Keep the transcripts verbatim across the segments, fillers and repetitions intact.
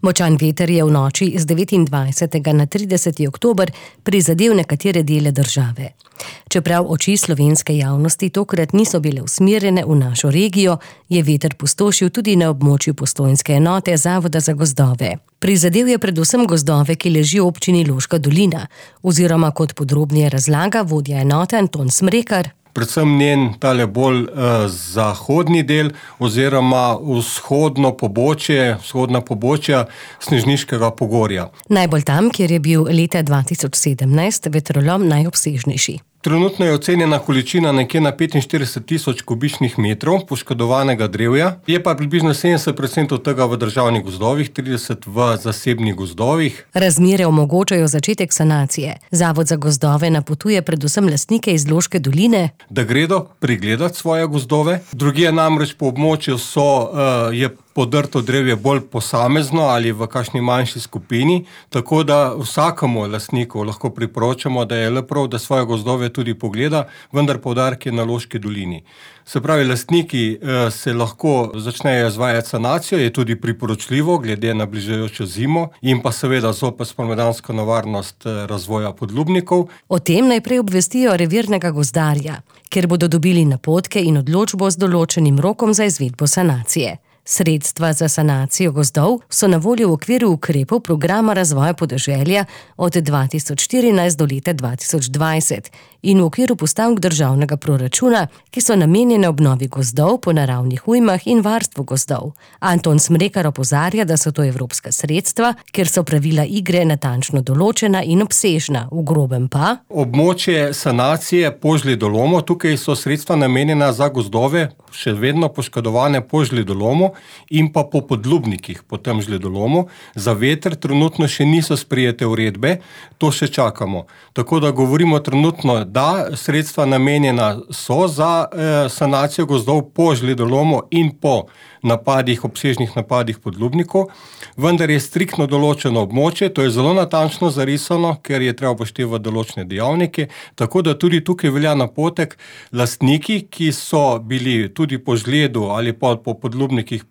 Močan veter je v noči z devetindvajsetega na trideseti oktober prizadel nekatere dele države. Čeprav oči slovenske javnosti tokrat niso bile usmerjene v našo regijo, je veter pustošil tudi na območju postojnske enote Zavoda za gozdove. Prizadel je predvsem gozdove, ki ležijo v občini Loška dolina, oziroma kot podrobneje razlaga vodja enote Anton Smrekar. Predvsem njen tale bolj uh, zahodni del oziroma vzhodno pobočje, vzhodna pobočja Snežniškega pogorja. Najbolj tam, kjer je bil leta dva tisoč sedemnajst vetrolom najobsežnejši. Trenutno je ocenjena količina nekje na petinštirideset tisoč kubičnih metrov poškodovanega drevja, je pa približno sedemdeset procentov tega v državnih gozdovih, trideset v zasebnih gozdovih. Razmere omogočajo začetek sanacije. Zavod za gozdove napotuje predvsem lastnike iz Loške doline, da gredo pregledati svoje gozdove. Drugje namreč po območju so, uh, je podrto drevje bolj posamezno ali v kakšni manjši skupini, tako da vsakemu lastniku lahko priporočamo, da je le prav, da svoje gozdove tudi pogleda, vendar poudarek je na Loški dolini. Se pravi, lastniki eh, se lahko začnejo izvajati sanacijo, je tudi priporočljivo glede na bližajočo zimo in pa seveda zopet spomladansko nevarnost eh, razvoja podlubnikov. O tem najprej obvestijo revirnega gozdarja, kjer bodo dobili napotke in odločbo z določenim rokom za izvedbo sanacije. Sredstva za sanacijo gozdov so na voljo v okviru ukrepov programa razvoja podeželja od dva tisoč štirinajst do leta dva tisoč dvajset in v okviru postavk državnega proračuna, ki so namenjene obnovi gozdov po naravnih ujmah in varstvu gozdov. Anton Smrekar opozarja, da so to evropska sredstva, ker so pravila igre natančno določena in obsežna, v grobem pa območje sanacije po žledolomu, tukaj so sredstva namenjena za gozdove, še vedno poškodovane po žledolomu in pa po podlubnikih po tem žledolomu. Za veter trenutno še niso sprejete uredbe, to še čakamo. Tako da govorimo trenutno, da sredstva namenjena so za eh, sanacijo gozdov po žledolomu in po napadih, obsežnih napadih podlubnikov, vendar je striktno določeno območje, to je zelo natančno zarisano, ker je treba upoštevati določene dejavnike, tako da tudi tukaj velja napotek lastniki, ki so bili tudi po žledu ali pa po podlubnikih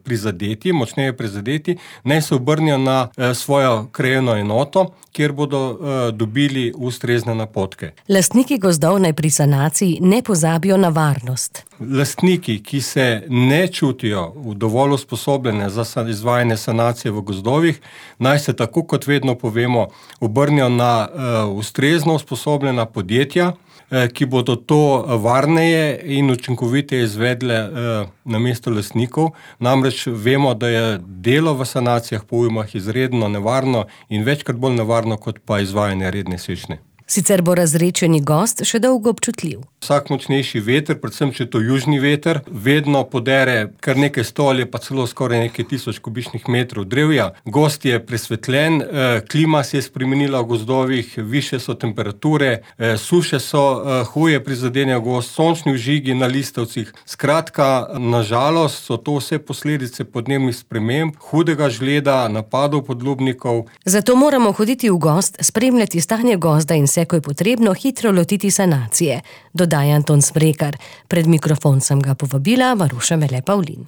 prizadeti, močneje prizadeti, naj se obrnijo na eh, svojo krajevno enoto, kjer bodo eh, dobili ustrezne napotke. Lastniki gozdov naj pri sanaciji ne pozabijo na varnost. Lastniki, ki se ne čutijo dovolj usposobljene za izvajanje sanacije v gozdovih, naj se tako kot vedno povemo, obrnijo na uh, ustrezno usposobljena podjetja, uh, ki bodo to varneje in učinkoviteje izvedle uh, na mesto lastnikov. Namreč vemo, da je delo v sanacijah po ujmah izredno nevarno in večkrat bolj nevarno kot pa izvajanje redne sečnje. Sicer bo razredčeni gozd še dolgo občutljiv. Vsak močnejši veter, predvsem če to južni veter, vedno podere kar nekaj sto ali pa celo skoraj nekaj tisoč kubičnih metrov drevja. Gozd je presvetljen, klima se je spremenila v gozdovih, višje so temperature, suše so huje prizadenejo gozd, sončni vžigi na listavcih. Skratka, na žalost so to vse posledice podnebnih sprememb, hudega žleda, napadov podlubnikov. Zato moramo hoditi v gozd, spremljati stanje gozda in se, ko je potrebno, hitro lotiti sanacije, dodaja Anton Smrekar. Pred mikrofon sem ga povabila Maruša Mele Pavlin.